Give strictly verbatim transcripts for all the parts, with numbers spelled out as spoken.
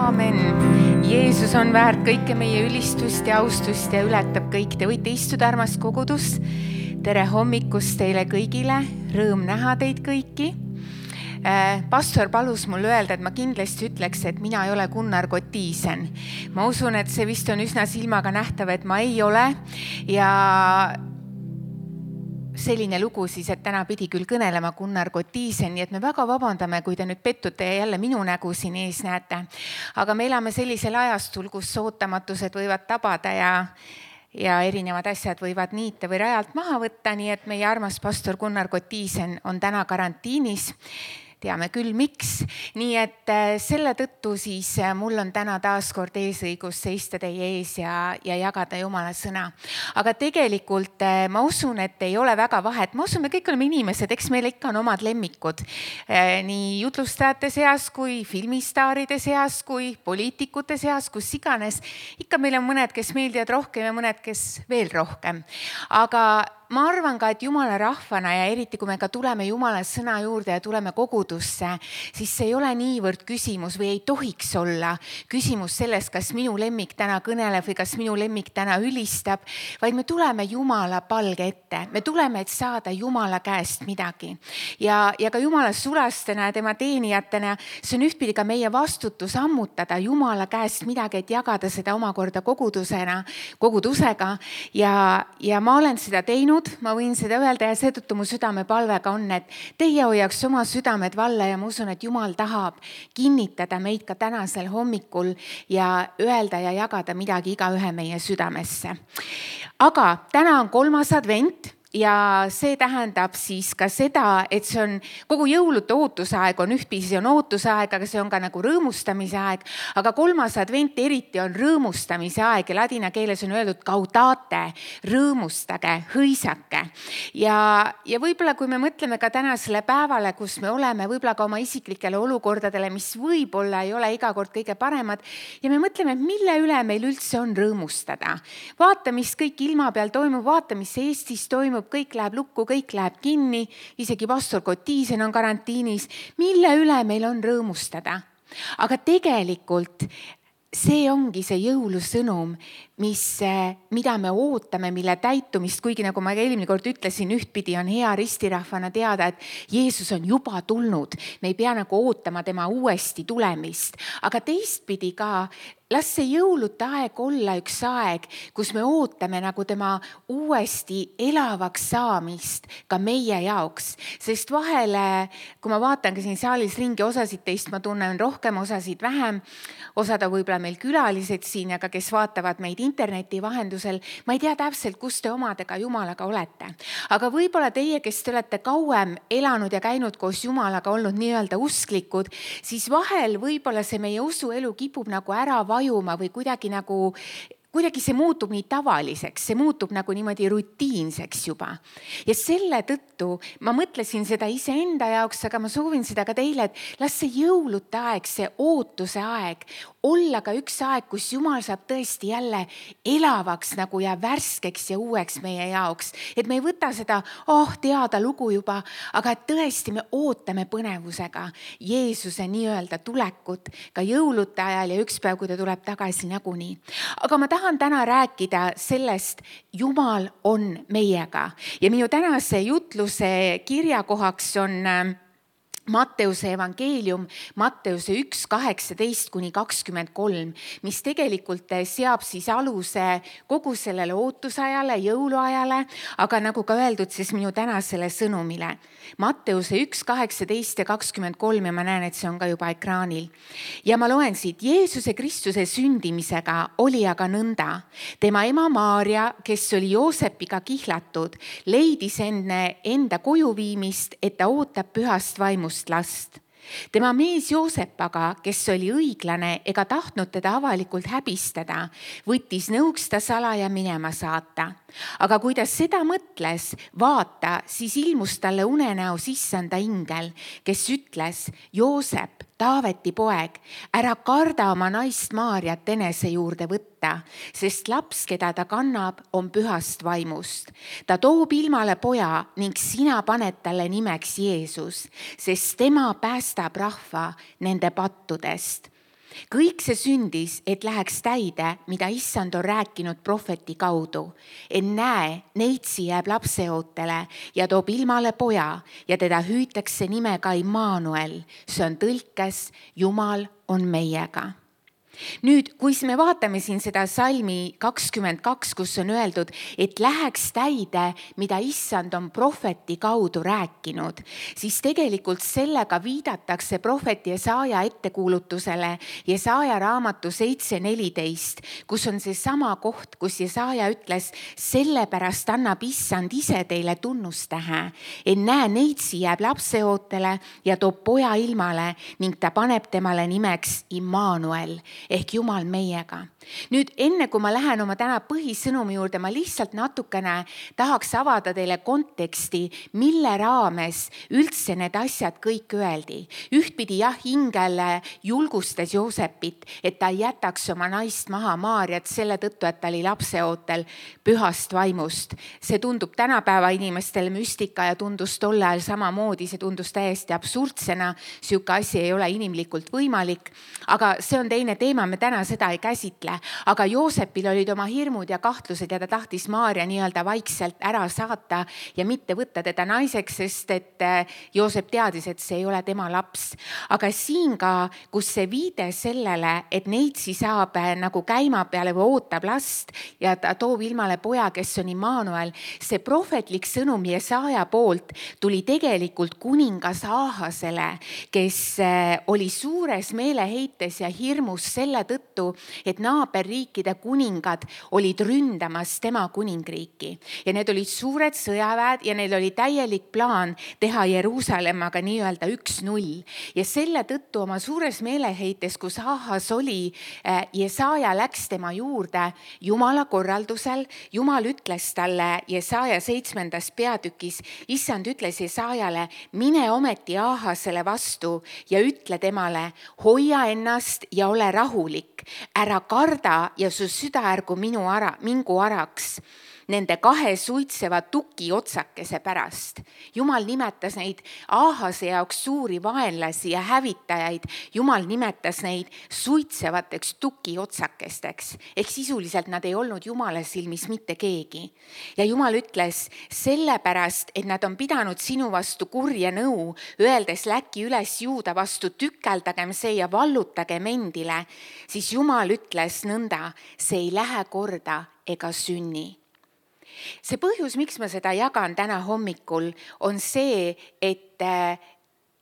aamen. Jeesus on väärt kõike meie ülistust ja austust ja ületab kõik. Te võite istuda, armas kogudus. Tere hommikust teile kõigile. Rõõm näha teid kõiki. Pastor palus mul öelda, et ma kindlasti ütleks, et mina ei ole Gunnar Kotiisen. Ma usun, et see vist on üsna silmaga nähtav, et ma ei ole. Ja selline lugu siis, et täna pidi küll kõnelema Gunnar Kotiisen, nii et me väga vabandame, kui te nüüd pettute ja jälle minu nägu siin ees näete. Aga me elame sellisel ajastul, kus ootamatused võivad tabada ja ja erinevad asjad võivad niita või rajalt maha võtta, nii et meie armas pastor Gunnar Kotiisen on täna karantiinis. Teame küll, miks. Nii et selle tõttu siis mul on täna taas kord eesõigus seista teie ees ja, ja jagada Jumala sõna. Aga tegelikult ma usun, et ei ole väga vahet. Ma usun, me kõik oleme inimesed, eks meil ikka on omad lemmikud. Nii jutlustajate seas kui filmistaaride seas kui poliitikute seas, kus iganes. Ikka meil on mõned, kes meeldivad rohkem ja mõned, kes veel rohkem. Aga ma arvan ka, et Jumala rahvana ja eriti kui me ka tuleme Jumala sõna juurde ja tuleme kogudusse, siis see ei ole niivõrd küsimus või ei tohiks olla küsimus sellest, kas minu lemmik täna kõneleb või kas minu lemmik täna ülistab, vaid me tuleme Jumala palge ette. Me tuleme, et saada Jumala käest midagi. Ja, ja ka Jumala sulastena ja tema teenijatena, see on ühtpidi ka meie vastutus ammutada Jumala käest midagi, et jagada seda omakorda kogudusena, kogudusega ja, ja ma olen seda teinud. Ma võin seda öelda ja seetõttu mu südame palvega on, et teie hoiaks oma südamed valla ja ma usun, et Jumal tahab kinnitada meid ka tänasel hommikul ja öelda ja jagada midagi iga ühe meie südamesse. Aga täna on kolmas advent. Ja see tähendab siis ka seda, et see on kogu jõulude ootusaeg on ühtpidi, see on ootusaeg, aga see on ka nagu rõõmustamise aeg. Aga kolmas advent eriti on rõõmustamise aeg ja ladina keeles on öeldud gaudate, rõõmustage, hõisake. Ja, ja võib-olla kui me mõtleme ka tänasele päevale, kus me oleme, võib-olla ka oma isiklikele olukordadele, mis võib-olla ei ole iga kord kõige paremad ja me mõtleme, mille üle meil üldse on rõõmustada. Vaata, mis kõik ilma peal toimub, vaata, mis Eestis toimub, kõik läheb lukku, kõik läheb kinni, isegi pastor Kotiisen on karantiinis, mille üle meil on rõõmustada. Aga tegelikult see ongi see jõulusõnum, mis, mida me ootame, mille täitumist, kuigi nagu ma eelmine kord ütlesin, ühtpidi on hea ristirahvana teada, et Jeesus on juba tulnud. Me ei pea nagu ootama tema uuesti tulemist, aga teistpidi ka las see jõulude aeg olla üks aeg, kus me ootame nagu tema uuesti elavaks saamist ka meie jaoks. Sest vahele, kui ma vaatan ka siin saalis ringi, osasid teist ma tunnen rohkem, osasid vähem, osada võib-olla meil külalised siin, aga kes vaatavad meid interneti vahendusel, ma ei tea täpselt, kus te omadega Jumalaga olete. Aga võib-olla teie, kes te olete kauem elanud ja käinud koos Jumalaga, olnud nii-öelda usklikud, siis vahel võib-olla see meie usuelu kipub nagu ära vajuma või kuidagi nagu, kuidagi see muutub nii tavaliseks, see muutub nagu niimoodi rutiinseks juba. Ja selle tõttu ma mõtlesin seda iseenda jaoks, aga ma soovin seda ka teile, et las see jõulude aeg, see ootuse aeg, olla ka üks aeg, kus Jumal saab tõesti jälle elavaks nagu ja värskeks ja uueks meie jaoks. Et me ei võta seda, oh, teada lugu juba, aga tõesti me ootame põnevusega Jeesuse nii-öelda tulekut ka jõulude ajal ja üks päev, kui ta tuleb tagasi nagunii. Aga ma tahan täna rääkida sellest, Jumal on meiega. Ja minu tänase jutluse kirjakohaks on Matteuse evangeelium, Matteuse üks kaheksateist kuni kakskümmend kolm, mis tegelikult seab siis aluse kogu sellele ootusajale, jõuluajale, aga nagu ka öeldud, siis minu tänasele sõnumile. Matteuse üks kaheksateist ja kakskümmend kolm ja ma näen, et see on ka juba ekraanil. Ja ma loen siit, Jeesuse Kristuse sündimisega oli aga nõnda. Tema ema Maaria, kes oli Joosepiga kihlatud, leidis enne enda koju viimist, et ta ootab pühast vaimust last. Tema mees Joosep aga, kes oli õiglane ega tahtnud teda avalikult häbistada, võttis nõuks ta salaja minema saata. Aga kui ta seda mõtles, vaata, siis ilmus talle unenäos issanda ingel, kes ütles, Joosep, Taaveti poeg, ära karda oma naist Maariat enese juurde võtta, sest laps, keda ta kannab, on pühast vaimust. Ta toob ilmale poja ning sina paned talle nimeks Jeesus, sest tema päästab rahva nende pattudest. kõik see sündis, et läheks täide, mida issand on rääkinud prohveti kaudu. Et näe, neitsi jääb lapseootele ja toob ilmale poja ja teda hüütakse nimega Immanuel. See on tõlkes, Jumal on meiega. Nüüd, kui me vaatame siin seda salmi kakskümmend kaks, kus on öeldud, et läheks täide, mida issand on prohveti kaudu rääkinud, siis tegelikult sellega viidatakse prohveti Jesaaja ettekuulutusele Jesaaja raamatu seitse neliteist, kus on see sama koht, kus Jesaaja ütles, sellepärast annab issand ise teile tunnustähe, et näe, neitsi jääb lapseootele ja toob poja ilmale ning ta paneb temale nimeks Immanuel ehk Jumal meiega. Nüüd, enne kui ma lähen oma täna põhisõnumi juurde, ma lihtsalt natukene tahaks avada teile konteksti, mille raames üldse need asjad kõik öeldi. Ühtpidi jah, ingel julgustas Joosepit, et ta ei jätaks oma naist maha Maarjat selle tõttu, et ta oli lapseootel pühast vaimust. See tundub tänapäeva inimestele müstika ja tundus tol ajal samamoodi, see tundus täiesti absurdsena, siuke asi ei ole inimlikult võimalik, aga see on teine teema. Me täna seda ei käsitle, aga Joosepil olid oma hirmud ja kahtlused ja ta tahtis Maarja nii-öelda vaikselt ära saata ja mitte võtta teda naiseks, sest et Joosep teadis, et see ei ole tema laps. Aga siin ka, kus see viide sellele, et neitsi saab nagu käima peale või ootab last ja ta toob ilmale poja, kes on Immanuel, see prohvetlik sõnum Jesaaja poolt tuli tegelikult kuningas Aahasele, kes oli suures meeleheites ja hirmus selle tõttu, et naaberriikide kuningad olid ründamas tema kuningriiki. Ja need olid suured sõjaväed ja neil oli täielik plaan teha Jeruusalemmaga nii-öelda üks null. Ja selle tõttu oma suures meeleheites, kus Ahas oli, Jesaaja läks tema juurde Jumala korraldusel. Jumal ütles talle Jesaaja seitsmendas peatükis, issand ütles Jesaajale, mine ometi Ahasele vastu ja ütle temale, hoia ennast ja ole rahulik, ära karda ja su süda ärgu minu ara, mingu araks nende kahe suitseva tuki otsakese pärast. Jumal nimetas neid Aahase jaoks suuri vaenlasi ja hävitajaid. Jumal nimetas neid suitsevateks tuki otsakesteks. Ehk sisuliselt nad ei olnud Jumala silmis mitte keegi. Ja Jumal ütles, sellepärast, et nad on pidanud sinu vastu kurja nõu, öeldes läki üles Juuda vastu, tükeldagem see ja vallutagem endile, siis Jumal ütles nõnda, see ei lähe korda ega sünni. See põhjus, miks ma seda jagan täna hommikul, on see, et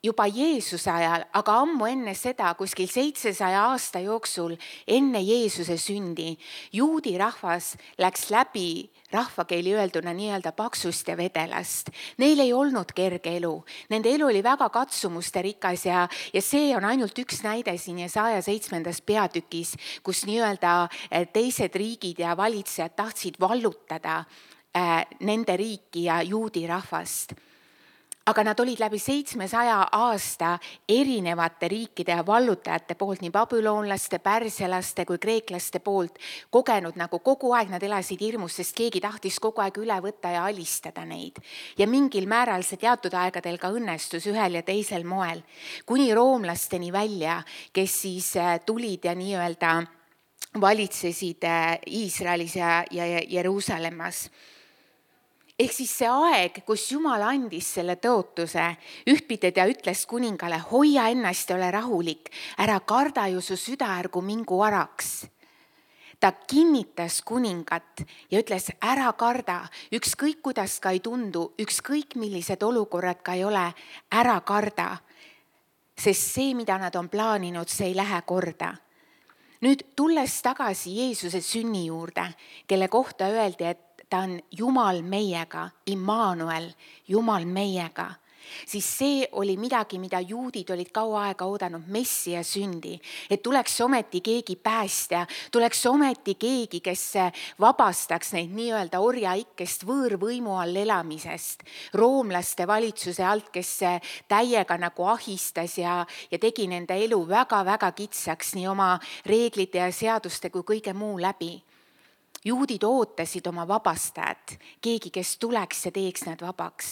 juba Jeesuse ajal, aga ammu enne seda, kuskil seitsesaja aasta jooksul, enne Jeesuse sündi, juudi rahvas läks läbi rahvakeeli öelduna nii-öelda paksust ja vedelast. Neil ei olnud kerge elu. Nende elu oli väga katsumuste rikas ja, ja see on ainult üks näide siin Jesaaja seitsmendas peatükis, kus nii-öelda teised riigid ja valitsejad tahtsid vallutada äh, nende riiki ja juudi rahvast. Aga nad olid läbi seitsmesaja aasta erinevate riikide ja vallutajate poolt, nii babüloonlaste, pärsialaste kui kreeklaste poolt kogenud nagu kogu aeg nad elasid hirmus, sest keegi tahtis kogu aeg üle võtta ja alistada neid. Ja mingil määral see teatud aegadel ka õnnestus ühel ja teisel moel, kuni roomlasteni välja, kes siis tulid ja nii-öelda valitsesid Iisraelis ja, ja Jeruusalemmas. Ehk siis see aeg, kus Jumal andis selle tõotuse, ühtpidi ta ütles kuningale, hoia ennast ja ole rahulik, ära karda ju su süda ärgu mingu araks. Ta kinnitas kuningat ja ütles, ära karda, ükskõik kuidas ka ei tundu, ükskõik millised olukorrad ka ei ole, ära karda, sest see, mida nad on plaaninud, see ei lähe korda. Nüüd tulles tagasi Jeesuse sünni juurde, kelle kohta öeldi, et ta on Jumal meiega, Immanuel, Jumal meiega, siis see oli midagi, mida juudid olid kaua aega oodanud, messia sündi, et tuleks ometi keegi päästja, tuleks ometi keegi, kes vabastaks neid nii-öelda orjaikkest võõrvõimu all elamisest, roomlaste valitsuse alt, kes täiega nagu ahistas ja, ja tegi nende elu väga-väga kitsaks nii oma reeglite ja seaduste kui kõige muu läbi. Juudid ootasid oma vabastajat, keegi, kes tuleks ja teeks nad vabaks.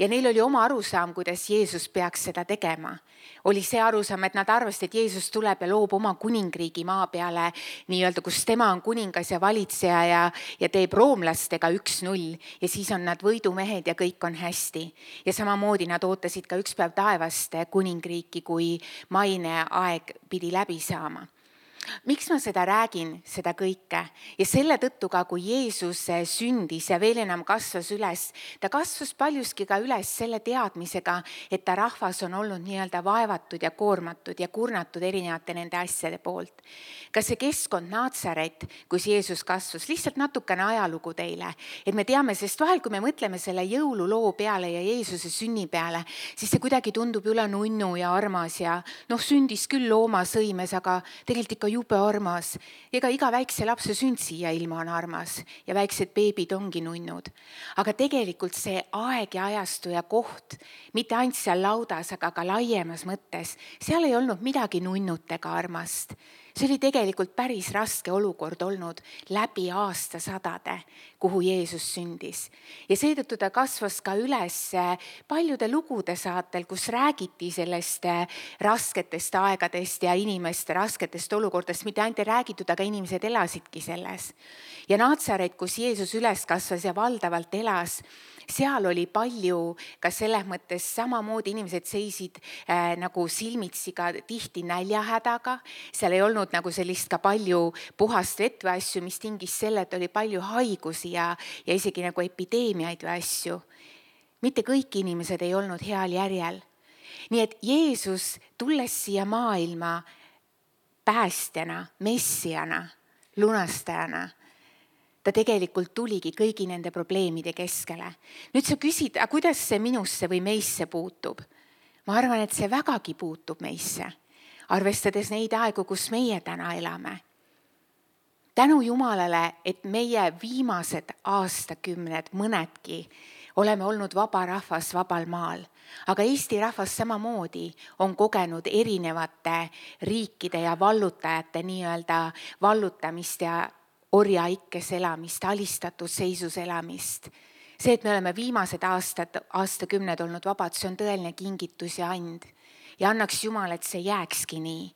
ja neil oli oma arusaam, kuidas Jeesus peaks seda tegema. Oli see arusaam, et nad arvasid, et Jeesus tuleb ja loob oma kuningriigi maa peale, nii-öelda, kus tema on kuningas ja valitseja ja, ja teeb roomlastega üks null ja siis on nad võidumehed ja kõik on hästi. Ja samamoodi nad ootasid ka üks päev taevast kuningriiki, kui maine aeg pidi läbi saama. Miks ma seda räägin, seda kõike? Ja selle tõttu ka, kui Jeesus sündis ja veel enam kasvas üles, ta kasvas paljuski ka üles selle teadmisega, et ta rahvas on olnud nii-öelda vaevatud ja koormatud ja kurnatud erinevate nende asjade poolt. Ka see keskkond Naatsaret, kus Jeesus kasvas, lihtsalt natukene ajalugu teile, et me teame, sest vahel, kui me mõtleme selle jõululoo peale ja Jeesuse sünni peale, siis see kuidagi tundub üle nunnu ja armas ja noh, sündis küll looma sõimes, aga tegelikult ikka jube armas. Ega iga väikse lapse sünd siia ilma on armas ja väiksed beebid ongi nunnud. Aga tegelikult see aeg ja ajastu ja koht, mitte ainult seal laudas, aga ka laiemas mõttes, seal ei olnud midagi nunnut ega armast. See oli tegelikult päris raske olukord olnud läbi aastasadade, kuhu Jeesus sündis. Ja seetõttu ta kasvas ka üles paljude lugude saatel, kus räägiti sellest rasketest aegadest ja inimeste rasketest olukordest, mitte ainult ei räägitud, aga inimesed elasidki selles. Ja Naatsaret, kus Jeesus üles kasvas ja valdavalt elas, seal oli palju ka selles mõttes samamoodi inimesed seisid äh, nagu silmitsi ka tihti näljahädaga. Seal ei olnud nagu sellist ka palju puhast vett või asju, mis tingis selle, et oli palju haigusi ja, ja isegi nagu epideemiaid või asju. Mitte kõik inimesed ei olnud heal järjel. Nii et Jeesus tulles siia maailma päästjana, messiana, lunastajana, ta tegelikult tuligi kõigi nende probleemide keskele. Nüüd sa küsid, aga kuidas see minusse või meisse puutub? Ma arvan, et see vägagi puutub meisse, arvestades neid aegu, kus meie täna elame. Tänu Jumalale, et meie viimased aastakümned, mõnedki, oleme olnud vaba rahvas vabal maal. Aga Eesti rahvas samamoodi on kogenud erinevate riikide ja vallutajate nii-öelda vallutamist ja orjaikkes elamist, alistatud seisus elamist. See, et me oleme viimased aastad, aastakümned olnud vabad, see on tõeline kingitus ja and. Ja annaks Jumal, et see jääkski nii.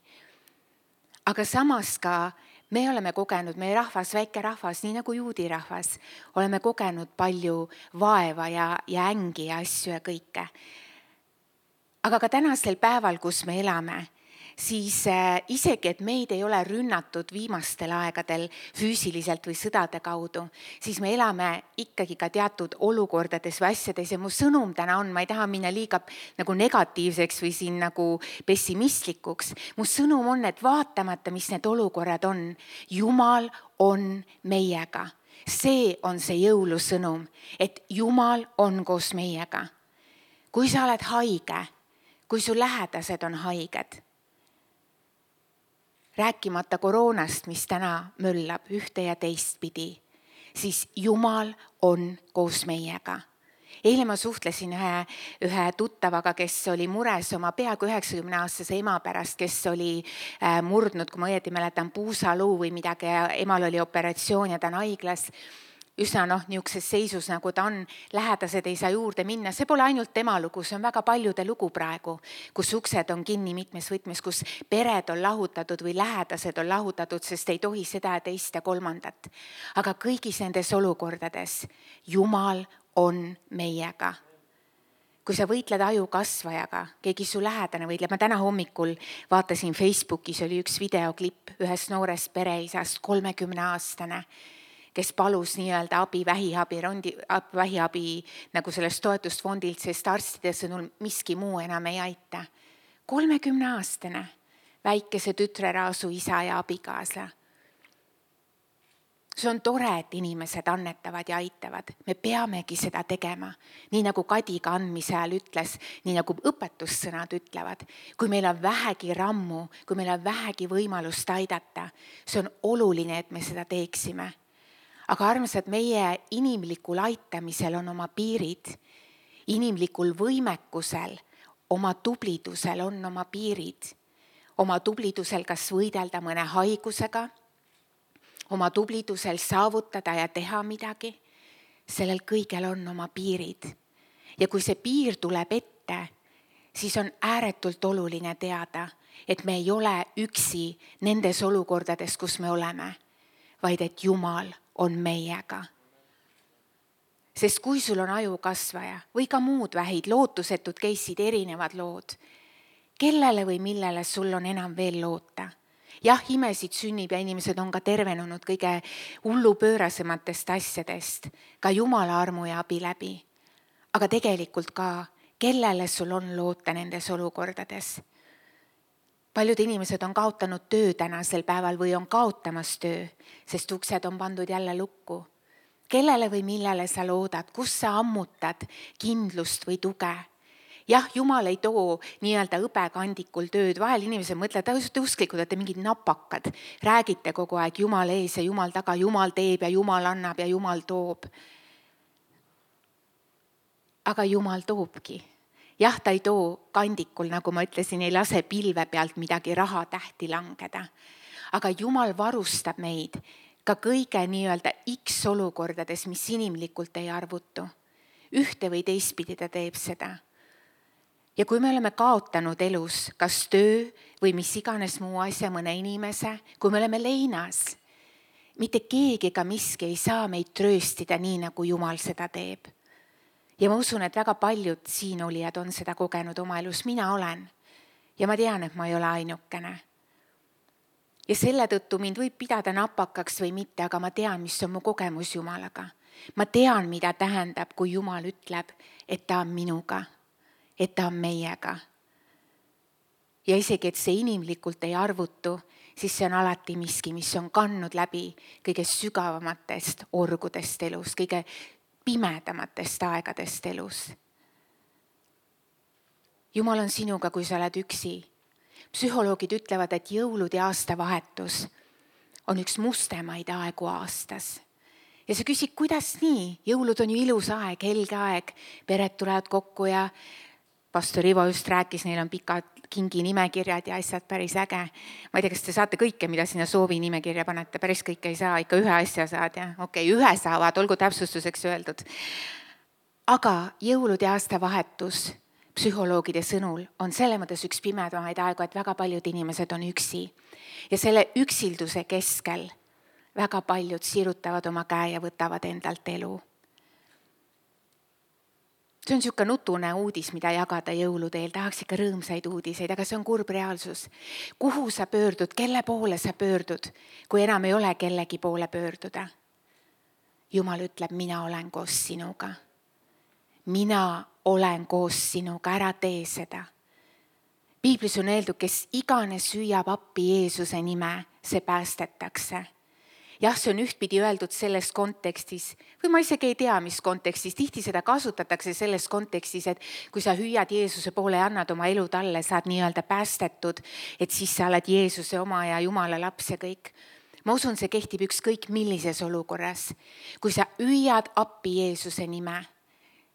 Aga samas ka me oleme kogenud, meie rahvas, väike rahvas, nii nagu juudi rahvas, oleme kogenud palju vaeva ja, ja ängi ja asju ja kõike. Aga ka tänasel päeval, kus me elame, siis isegi, et meid ei ole rünnatud viimastel aegadel füüsiliselt või sõdade kaudu, siis me elame ikkagi ka teatud olukordades või asjades ja mu sõnum täna on, ma ei taha minna liiga nagu negatiivseks või siin nagu pessimistlikuks. Mu sõnum on, et vaatamata, mis need olukorrad on, Jumal on meiega. See on see jõulusõnum, et Jumal on koos meiega. Kui sa oled haige, kui su lähedased on haiged, rääkimata koroonast, mis täna möllab ühte ja teist pidi, siis Jumal on koos meiega. Eile ma suhtlesin ühe, ühe tuttavaga, kes oli mures oma peaaegu üheksakümne aastase ema pärast, kes oli äh, murdnud, kui ma õieti mäletan, puusaluu või midagi ja emal oli operatsioon ja ta on haiglas. Üsna noh, niisuguses seisus, nagu ta on, lähedased ei saa juurde minna. See pole ainult tema lugu, see on väga paljude lugu praegu, kus uksed on kinni mitmes võtmes, kus pered on lahutatud või lähedased on lahutatud, sest ei tohi seda ja teist ja kolmandat. Aga kõigis nendes olukordades Jumal on meiega. Kui sa võitled aju kasvajaga, keegi su lähedane võitleb. Ma täna hommikul vaatasin Facebookis, oli üks videoklipp ühest noorest pereisast, kolmekümne aastane, kes palus nii-öelda abi, vähiabi, rondi, vähiabi nagu sellest toetusfondilt, sest arstide sõnul miski muu enam ei aita. kolmekümne aastane, väikese tütre raasu isa ja abikaasa. See on tore, et inimesed annetavad ja aitavad. Me peamegi seda tegema. Nii nagu Kadi ka andmise ajal ütles, nii nagu õpetussõnad ütlevad. Kui meil on vähegi rammu, kui meil on vähegi võimalust aidata, see on oluline, et me seda teeksime. Aga armsad, meie inimlikul aitamisel on oma piirid. Inimlikul võimekusel, oma tublidusel on oma piirid. Oma tublidusel kas võidelda mõne haigusega, oma tublidusel saavutada ja teha midagi. Sellel kõigel on oma piirid. ja kui see piir tuleb ette, siis on ääretult oluline teada, et me ei ole üksi nendes olukordades, kus me oleme, vaid et Jumal on meiega. Sest kui sul on ajukasvaja või ka muud vähid, lootusetud case'id, erinevad lood, kellele või millele sul on enam veel loota? Jah, imesid sünnib ja inimesed on ka tervenenud kõige hullupöörasematest asjadest, ka Jumala armu ja abi läbi. Aga tegelikult ka, kellele sul on loota nendes olukordades? Paljud inimesed on kaotanud töö tänasel päeval või on kaotamas töö, sest uksed on pandud jälle lukku. Kellele või millele sa loodad, kus sa ammutad kindlust või tuge? Jah, Jumal ei too nii-öelda õbekandikul tööd. Vahel inimesed mõtlevad, et te usklikud, et te mingid napakad. Räägite kogu aeg Jumal ees ja Jumal taga, Jumal teeb ja Jumal annab ja Jumal toob. Aga Jumal toobki. Jah, ta ei too kandikul, nagu ma ütlesin, ei lase pilve pealt midagi raha tähti langeda. Aga Jumal varustab meid ka kõige nii-öelda X olukordades, mis inimlikult ei arvutu. Ühte või teistpidi ta teeb seda. Ja kui me oleme kaotanud elus, kas töö või mis iganes muu asja mõne inimese, kui me oleme leinas, mitte keegi ega miski ei saa meid trööstida nii, nagu Jumal seda teeb. Ja ma usun, et väga paljud siin olijad on seda kogenud oma elus, mina olen. Ja ma tean, et ma ei ole ainukene. Ja selle tõttu mind võib pidada napakaks või mitte, aga ma tean, mis on mu kogemus Jumalaga. Ma tean, mida tähendab, kui Jumal ütleb, et ta on minuga. Et ta on meiega. Ja isegi, et see inimlikult ei arvutu, siis see on alati miski, mis on kandnud läbi kõige sügavamatest orgudest elus, kõige pimedamatest aegadest elus. Jumal on sinuga, kui sa oled üksi. Psühholoogid ütlevad, et jõulud ja aastavahetus on üks mustemaid aegu aastas. Ja sa küsid, kuidas nii? Jõulud on ju ilus aeg, helge aeg, pered tulevad kokku ja pastor Ivo just rääkis, neil on pikad kingi nimekirjad ja asjad päris äge. Ma ei tea, kas te saate kõike, mida sinna soovi nimekirja panete, päris kõike ei saa, ikka ühe asja saad ja okei, ühe saavad, olgu täpsustuseks öeldud. Aga jõulud ja aastavahetus psühholoogide sõnul on selle mõttes üks pimedamaid aegu, et väga paljud inimesed on üksi. Ja selle üksilduse keskel väga paljud sirutavad oma käe ja võtavad endalt elu. See on niisugune nutune uudis, mida jagada jõulude eel. Tahaks ikka rõõmsaid uudiseid, aga see on kurb reaalsus. Kuhu sa pöördud, kelle poole sa pöördud, kui enam ei ole kellegi poole pöörduda? Jumal ütleb, mina olen koos sinuga. Mina olen koos sinuga, ära tee seda. Piiblis on öeldud, kes iganes süüab appi Jeesuse nime, see päästetakse. Jah, see on ühtpidi öeldud selles kontekstis, või ma isegi ei tea, mis kontekstis, tihti seda kasutatakse selles kontekstis, et kui sa hüüad Jeesuse poole ja annad oma elu talle, saad nii-öelda päästetud, et siis sa oled Jeesuse oma ja Jumala laps ja kõik. Ma usun, see kehtib ükskõik millises olukorras. Kui sa hüüad appi Jeesuse nime,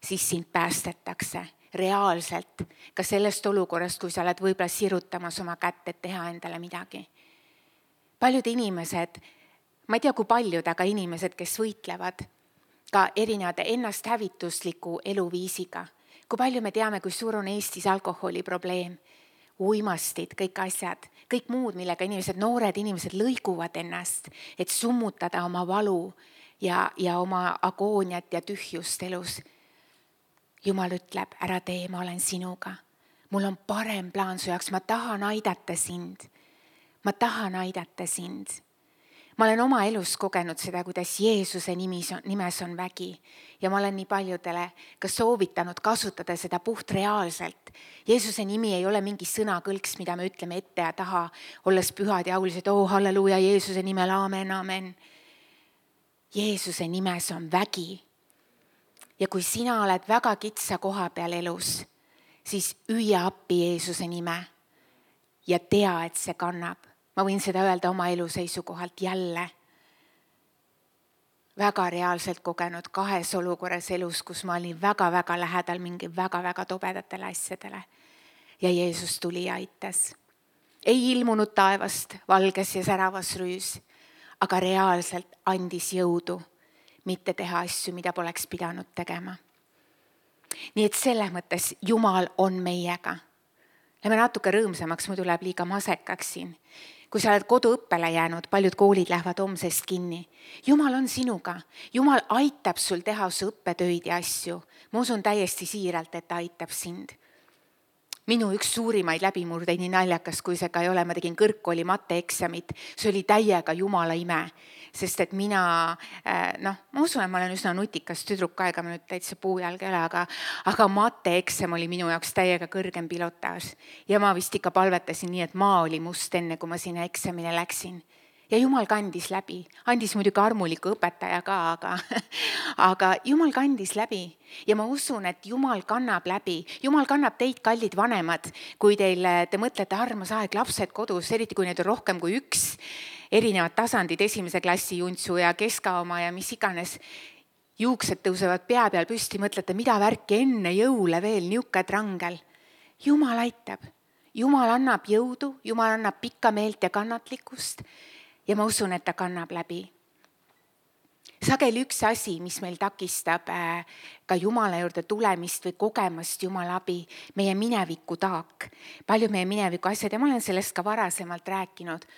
siis sind päästetakse reaalselt ka sellest olukorrast, kui sa oled võib-olla sirutamas oma kätt, et teha endale midagi. Paljud inimesed, ma ei tea, kui paljud, aga inimesed, kes võitlevad ka erinevate ennast hävitusliku eluviisiga. Kui palju me teame, kui suur on Eestis alkoholi probleem, uimastid, kõik asjad, kõik muud, millega inimesed, noored inimesed lõiguvad ennast, et summutada oma valu ja, ja oma agooniat ja tühjust elus. Jumal ütleb, ära tee, ma olen sinuga. Mul on parem plaan su jaoks, ma tahan aidata sind. Ma tahan aidata sind. Ma olen oma elus kogenud seda, kuidas Jeesuse nimes on, nimes on vägi ja ma olen nii paljudele ka soovitanud kasutada seda puht reaalselt. Jeesuse nimi ei ole mingi sõnakõlks, mida me ütleme ette ja taha, olles pühad ja aulised, oh halleluuja, Jeesuse nimel, aamen, aamen. Jeesuse nimes on vägi. Ja kui sina oled väga kitsa koha peal elus, siis hüüa appi Jeesuse nime ja tea, et see kannab. Ma võin seda öelda oma elu seisukohalt jälle. Väga reaalselt kogenud kahes olukorras elus, kus ma olin väga-väga lähedal mingi väga-väga tobedatele asjadele. Ja Jeesus tuli ja aitas. Ei ilmunud taevast valges ja säravas rüüs, aga reaalselt andis jõudu, mitte teha asju, mida poleks pidanud tegema. nii et selles mõttes Jumal on meiega. Lähme natuke rõõmsamaks, muidu läheb liiga masekaks siin. Kui sa oled koduõppele jäänud, paljud koolid lähevad homsest kinni. Jumal on sinuga. Jumal aitab sul teha su õppetöid ja asju. Ma usun täiesti siiralt, et ta aitab sind. Minu üks suurimaid läbimurdeid, nii naljakas, kui see ka ei ole, ma tegin kõrgkooli matteeksamit. See oli täiega Jumala ime, sest et mina, noh, ma usun, et ma olen üsna nutikas tüdruk aega, ma nüüd täitsa puujalg ei ole, aga, aga matteeksam oli minu jaoks täiega kõrgem pilotaaž. Ja ma vist ikka palvetasin nii, et maa oli must enne, kui ma sinna eksamine läksin. Ja Jumal kandis läbi, andis muidugi armuliku õpetaja ka, aga, aga Jumal kandis läbi. Ja ma usun, et Jumal kannab läbi. Jumal kannab teid, kallid vanemad, kui teil, te mõtlete, armas aeg, lapsed kodus, eriti kui neid on rohkem kui üks, erinevad tasandid, esimese klassi juntsu ja keskaoma ja mis iganes. Juuksed tõusevad pea peal püsti, mõtlete, mida värki enne jõule veel niuke trangel. Jumal aitab. Jumal annab jõudu, Jumal annab pikka meelt ja kannatlikkust. Ja ma usun, et ta kannab läbi. Sageli üks asi, mis meil takistab ka Jumala juurde tulemist või kogemast Jumala abi, meie mineviku taak. Palju meie mineviku asjad ja ma olen sellest ka varasemalt rääkinud.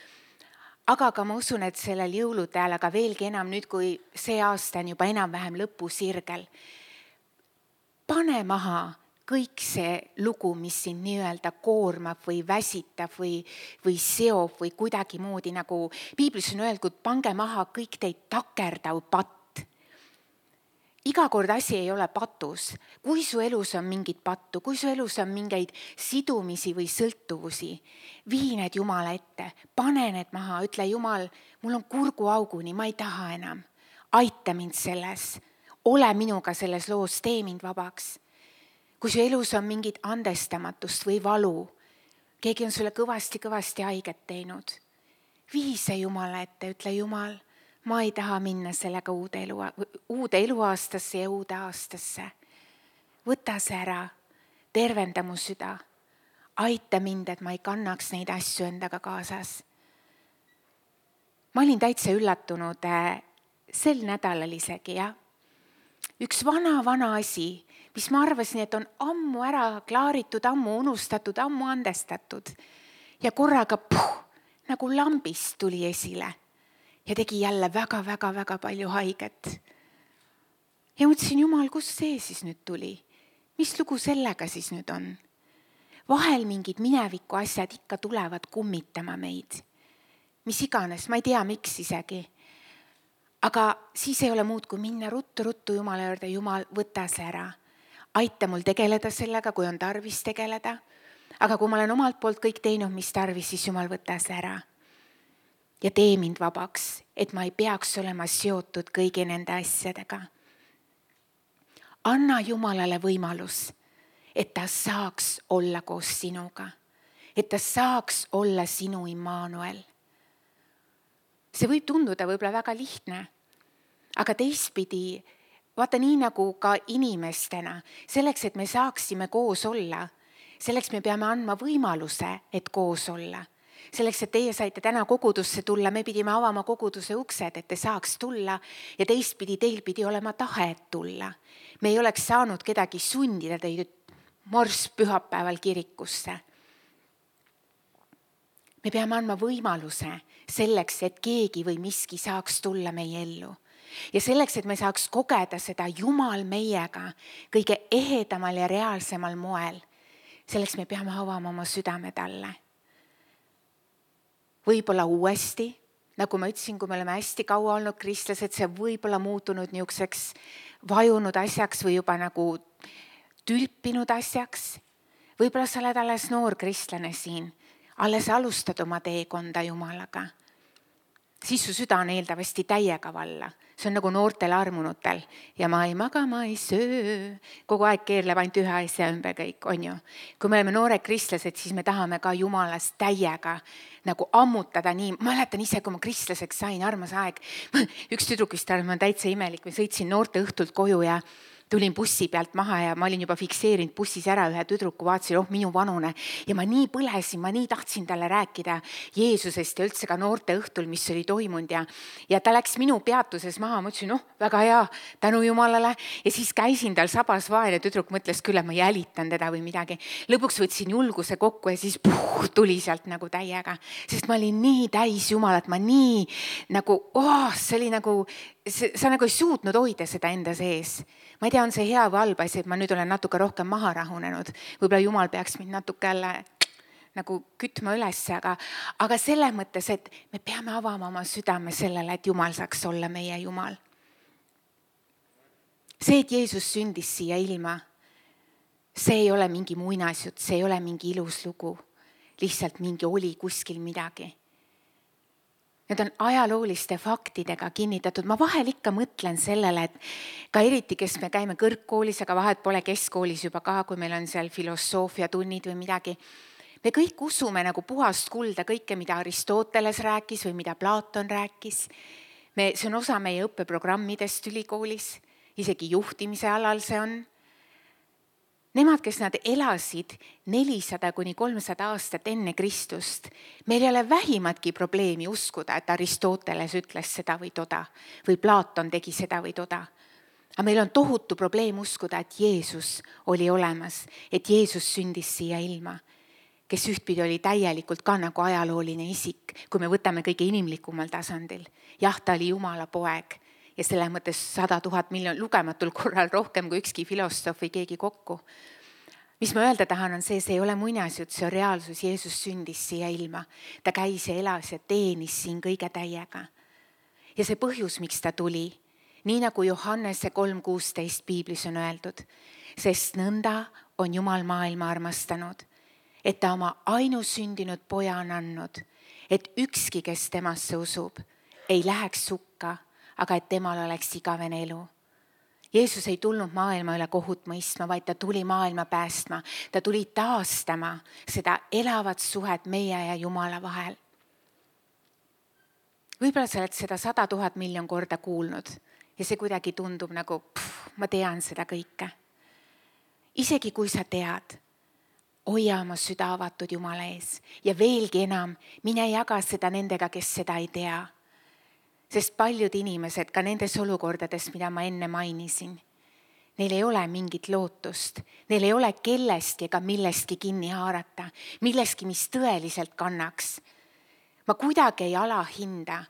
Aga ka ma usun, et sellel jõulude ajal, aga veelgi enam nüüd, kui see aasta on juba enam-vähem lõpusirgel. Pane maha kõik see lugu, mis sind nii-öelda koormab või väsitab või, või seob või kuidagi moodi, nagu Piiblis on öeldud, pange maha kõik teid takerdav patt. Iga kord asi ei ole patus. Kui su elus on mingit pattu, kui su elus on mingeid sidumisi või sõltuvusi, vii need Jumala ette, pane need maha, ütle Jumal, mul on kurguauguni, ma ei taha enam. Aita mind selles, ole minuga selles loos, tee mind vabaks. Kui su elus on mingit andestamatust või valu, keegi on sulle kõvasti-kõvasti haiget teinud, vii see Jumala ette, ütle Jumal, ma ei taha minna sellega uude, elu, uude eluaastasse ja uude aastasse. Võta see ära, tervenda mu süda, aita mind, et ma ei kannaks neid asju endaga kaasas. Ma olin täitsa üllatunud sel nädalal isegi, jah. Üks vana-vana asi, mis ma arvasin, et on ammu ära klaaritud, ammu unustatud, ammu andestatud. Ja korraga puh, nagu lambist tuli esile ja tegi jälle väga-väga-väga palju haiget. Ja mõtlesin, Jumal, kus see siis nüüd tuli? Mis lugu sellega siis nüüd on? Vahel mingid mineviku asjad ikka tulevad kummitama meid. Mis iganes, ma ei tea, miks isegi. Aga siis ei ole muud, kui minna ruttu-ruttu Jumala juurde, Jumal, võta see ära. Aita mul tegeleda sellega, kui on tarvis tegeleda. Aga kui ma olen omalt poolt kõik teinud, mis tarvis, siis Jumal, võta see ära. Ja tee mind vabaks, et ma ei peaks olema seotud kõigi nende asjadega. Anna Jumalale võimalus, et ta saaks olla koos sinuga. Et ta saaks olla sinu Immanuel. See võib tunduda võib-olla väga lihtne, aga teistpidi, vaata nii nagu ka inimestena, selleks, et me saaksime koos olla, selleks me peame andma võimaluse, et koos olla. Selleks, et teie saite täna kogudusse tulla, me pidime avama koguduse uksed, et te saaks tulla ja teistpidi teil pidi olema tahe, et tulla. Me ei oleks saanud kedagi sundida teid morss pühapäeval kirikusse. Me peame andma võimaluse selleks, et keegi või miski saaks tulla meie ellu. Ja selleks, et me saaks kogeda seda Jumal meiega kõige ehedamal ja reaalsemal moel, selleks me peame avama oma südame talle. Võib-olla uuesti, nagu ma ütlesin, kui me oleme hästi kaua olnud kristlased, see võib-olla muutunud niisuguseks vajunud asjaks või juba nagu tülpinud asjaks. Võib-olla sa oled alles noor kristlane siin, alles alustad oma teekonda Jumalaga. Siis su süda on eeldavasti täiega valla. See on nagu noortel armunutel ja ma ei maga, ma ei söö. Kogu aeg keerleb ainult ühe asja ümber kõik, on ju. Kui me oleme noored kristlased, siis me tahame ka Jumalast täiega nagu ammutada nii. Ma mäletan ise, kui ma kristlaseks sain, armas aeg. Üks tüdruk vist arvab, ma olen täitsa imelik. Ma sõitsin noorte õhtult koju ja tulin bussi pealt maha ja ma olin juba fikseerinud bussis ära ühe tüdruku, vaatasin, oh minu vanune. Ja ma nii põlesin, ma nii tahtsin talle rääkida Jeesusest ja üldse ka noorte õhtul, mis oli toimunud. Ja, ja ta läks minu peatuses maha, ma ütlesin, noh, väga hea, tänu Jumalale. Ja siis käisin tal sabas vaene tüdruk, mõtles küll, et ma jälitan teda või midagi. Lõpuks võtsin julguse kokku ja siis puh, tuli sealt nagu täiega. Sest ma olin nii täis Jumalat, ma nii nagu, oh, see oli nagu, sa nagu ei suutnud hoida seda enda sees. Ma ei tea, on see hea või halb asi, et ma nüüd olen natuke rohkem maha rahunenud. Võib-olla Jumal peaks mind natuke jälle nagu kütma üles, aga, aga selles mõttes, et me peame avama oma südame sellele, et Jumal saaks olla meie Jumal. See, et Jeesus sündis siia ilma, see ei ole mingi muinasjutt, see ei ole mingi ilus lugu. Lihtsalt mingi oli kuskil midagi. Need on ajalooliste faktidega kinnitatud. Ma vahel ikka mõtlen sellele, et ka eriti, kes me käime kõrgkoolis, aga vahet pole keskkoolis juba ka, kui meil on seal filosoofia tunnid või midagi. Me kõik usume nagu puhast kulda kõike, mida Aristoteles rääkis või mida Platon rääkis. Me, see on osa meie õppeprogrammidest ülikoolis, isegi juhtimise alal see on. Nemad, kes nad elasid nelisada kuni kolmsada aastat enne Kristust, meil ei ole vähimatki probleemi uskuda, et Aristoteles ütles seda või toda, või Platon tegi seda või toda. Aga meil on tohutu probleem uskuda, et Jeesus oli olemas, et Jeesus sündis siia ilma, kes ühtpidi oli täielikult ka nagu ajalooline isik, kui me võtame kõige inimlikumal tasandil. Jah, ta oli Jumala poeg ja selle mõttes sada tuhat miljon lugematul korral rohkem kui ükski filosoof või keegi kokku. Mis ma öelda tahan, on see, see ei ole muinasjutt, see on reaalsus. Jeesus sündis siia ilma. Ta käis ja elas ja teenis siin kõige täiega. Ja see põhjus, miks ta tuli, nii nagu Johannese kolm kuusteist piiblis on öeldud, sest nõnda on Jumal maailma armastanud, et ta oma ainusündinud poja on andnud, et ükski, kes temasse usub, ei läheks sukka, aga et temal oleks igavene elu. Jeesus ei tulnud maailma üle kohut mõistma, vaid ta tuli maailma päästma. Ta tuli taastama seda elavat suhet meie ja Jumala vahel. Võib-olla sa oled seda sada tuhat miljon korda kuulnud ja see kuidagi tundub nagu, pff, ma tean seda kõike. Isegi kui sa tead, hoia oma süda avatud Jumala ees ja veelgi enam, mine jaga seda nendega, kes seda ei tea. Sest paljud inimesed, ka nendes olukordades, mida ma enne mainisin, neil ei ole mingit lootust, neil ei ole kellestki ega millestki kinni haarata, millestki, mis tõeliselt kannaks. Ma kuidagi ei alahinda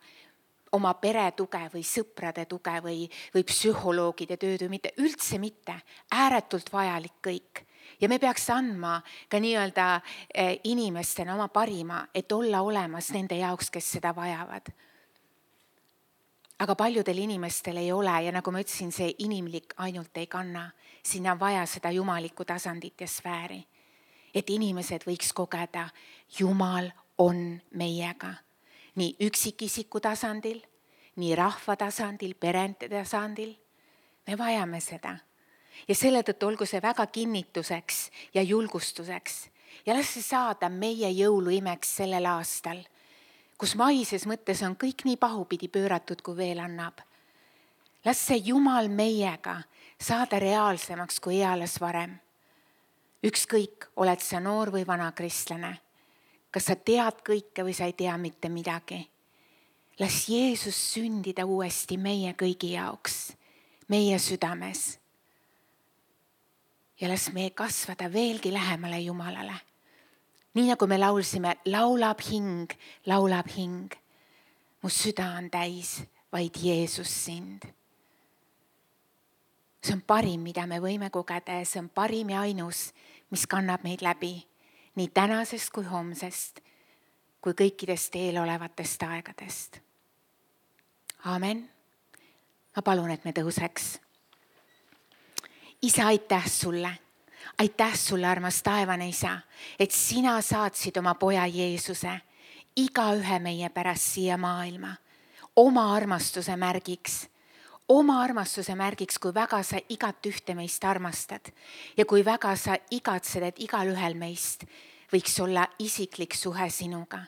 oma pere tuge või sõprade tuge või, või psühholoogide tööd või mitte, üldse mitte, ääretult vajalik kõik. Ja me peaks andma ka nii-öelda inimestena oma parima, et olla olemas nende jaoks, kes seda vajavad. Aga paljudel inimestel ei ole ja nagu ma ütlesin, see inimlik ainult ei kanna. Sinna on vaja seda jumalikku tasandit ja sfääri. Et inimesed võiks kogeda, Jumal on meiega. Nii üksikisiku tasandil, nii rahva tasandil, perente tasandil. Me vajame seda. Ja selle tõttu olgu see väga kinnituseks ja julgustuseks. Ja las see saada meie jõuluimeks sellel aastal, kus maises mõttes on kõik nii pahupidi pööratud, kui veel annab. Las see Jumal meiega saada reaalsemaks kui eales varem. Ükskõik, oled sa noor või vana kristlane. Kas sa tead kõike või sa ei tea mitte midagi. Las Jeesus sündida uuesti meie kõigi jaoks, meie südames. Ja las me kasvada veelgi lähemale Jumalale. Nii nagu me laulsime, laulab hing, laulab hing. Mu süda on täis, vaid Jeesus sind. See on parim, mida me võime kogeda ja see on parim ja ainus, mis kannab meid läbi nii tänasest kui homsest, kui kõikidest eelolevatest aegadest. Aamen. Ma palun, et me tõuseks. Isa, aitäh sulle. Aitäh sulle, armas taevane isa, et sina saatsid oma poja Jeesuse iga ühe meie pärast siia maailma, oma armastuse märgiks, oma armastuse märgiks, kui väga sa igat ühte meist armastad ja kui väga sa igatsed, et igal ühel meist võiks olla isiklik suhe sinuga.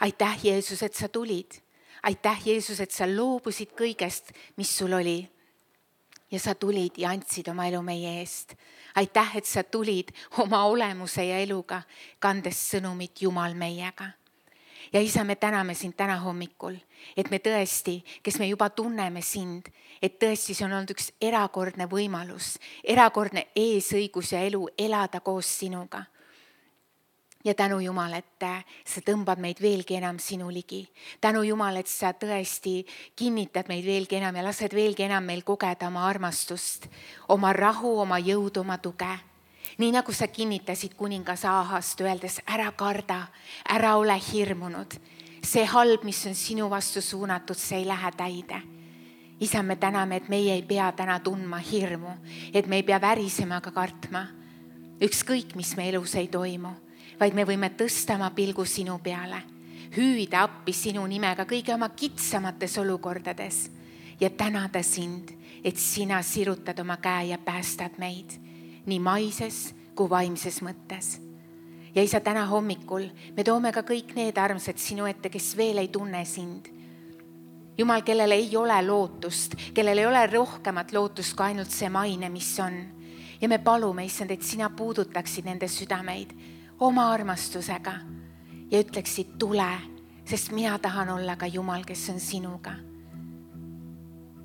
Aitäh, Jeesus, et sa tulid. Aitäh, Jeesus, et sa loobusid kõigest, mis sul oli. ja sa tulid ja andsid oma elu meie eest. Aitäh, et sa tulid oma olemuse ja eluga, kandes sõnumit Jumal meiega. Ja isa, me täname sind täna hommikul, et me tõesti, kes me juba tunneme sind, et tõesti see on olnud üks erakordne võimalus, erakordne eesõigus ja elu elada koos sinuga. Ja tänu Jumal, et sa tõmbad meid veelgi enam sinu ligi. Tänu Jumal, et sa tõesti kinnitad meid veelgi enam ja lased veelgi enam meil kogeda oma armastust, oma rahu, oma jõudu, oma tuge. Nii nagu sa kinnitasid kuningas Ahast, öeldes ära karda, ära ole hirmunud. See halb, mis on sinu vastu suunatud, see ei lähe täide. Isa, me täname, et meie ei pea täna tundma hirmu, et me ei pea värisema ka kartma. Ükskõik, mis me elus ei toimu, vaid me võime tõsta oma pilgu sinu peale, hüüda appi sinu nimega kõige oma kitsamates olukordades ja tänada sind, et sina sirutad oma käe ja päästad meid nii maises kui vaimses mõttes. Ja isa, täna hommikul me toome ka kõik need armsad sinu ette, kes veel ei tunne sind. Jumal, kellel ei ole lootust, kellel ei ole rohkemat lootust kui ainult see maine, mis on. Ja me palume, issand, et sina puudutaksid nende südameid oma armastusega ja ütleksid tule, sest mina tahan olla ka Jumal, kes on sinuga.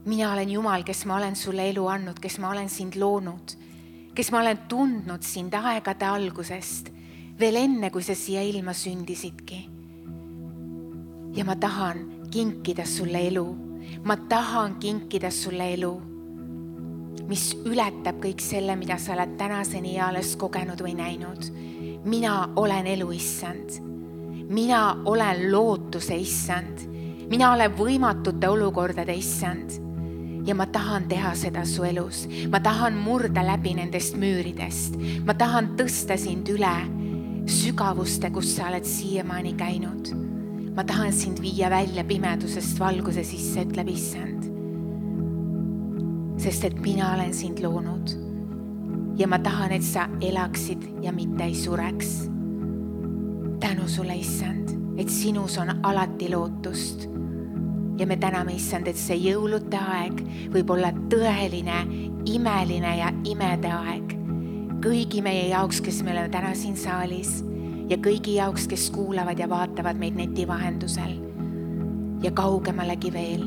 Mina olen Jumal, kes ma olen sulle elu andnud, kes ma olen sind loonud, kes ma olen tundnud sind aegade algusest, veel enne, kui sa siia ilma sündisidki. Ja ma tahan kinkida sulle elu, ma tahan kinkida sulle elu, mis ületab kõik selle, mida sa oled tänaseni alles kogenud või näinud. Mina olen elu, issand. Mina olen lootuse, issand. Mina olen võimatute olukordade, issand. Ja ma tahan teha seda su elus. Ma tahan murda läbi nendest müüridest. Ma tahan tõsta sind üle sügavuste, kus sa oled siiamaani käinud. Ma tahan sind viia välja pimedusest valguse sisse, ütleb issand. Sest et mina olen sind loonud. Ja ma tahan, et sa elaksid ja mitte ei sureks. Tänu sulle, issand, et sinus on alati lootust. Ja me täname, issand, et see jõulude aeg võib olla tõeline, imeline ja imede aeg. Kõigi meie jaoks, kes me oleme täna siin saalis ja kõigi jaoks, kes kuulavad ja vaatavad meid neti vahendusel ja kaugemalegi veel.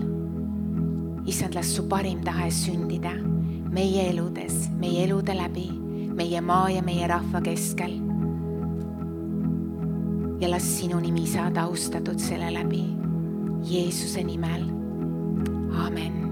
Issand, las su parim tahe sündida meie eludes, meie elude läbi, meie maa ja meie rahva keskel. Ja las sinu nimi saada austatud selle läbi. Jeesuse nimel. Amen.